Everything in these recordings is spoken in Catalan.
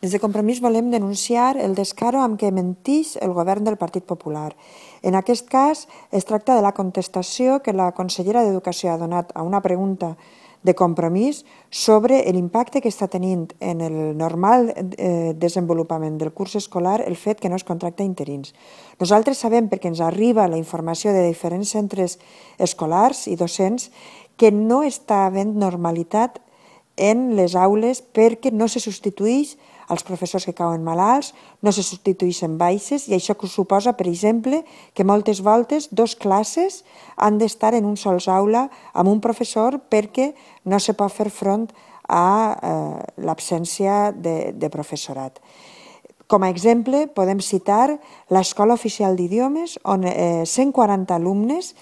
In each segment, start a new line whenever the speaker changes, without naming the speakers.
Des de Compromís volem denunciar el descaro amb què mentix el govern del Partit Popular. En aquest cas, es tracta de la contestació que la consellera d'Educació ha donat a una pregunta de Compromís sobre l'impacte que està tenint en el normal desenvolupament del curs escolar el fet que no es contracta interins. Nosaltres sabem, perquè ens arriba la informació de diferents centres escolars i docents, que no està havent normalitat en les aules perquè no se substitueix els professors que cauen malalts, no se substitueixen baixes i això suposa, per exemple, que moltes voltes dos classes han d'estar en un sols aula amb un professor perquè no se pot fer front a l'absència de professorat. Com a exemple, podem citar l'Escola Oficial d'Idiomes, on 140 alumnes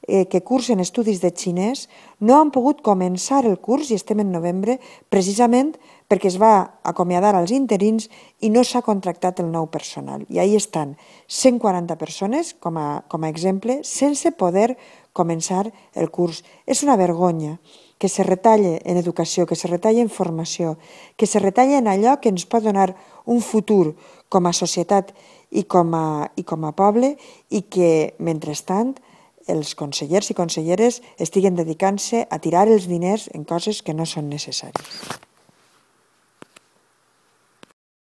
que cursen estudis de xinès no han pogut començar el curs, i estem en novembre, precisament perquè es va acomiadar als interins i no s'ha contractat el nou personal. I ahí estan 140 persones, com a exemple, sense poder començar el curs. És una vergonya que se retalle en educació, que se retalle en formació, que se retalle en allò que ens pot donar un futur com a societat i com a poble, i que, mentrestant, els consellers i conselleres estiguen dedicant-se a tirar els diners en coses que no són necessàries.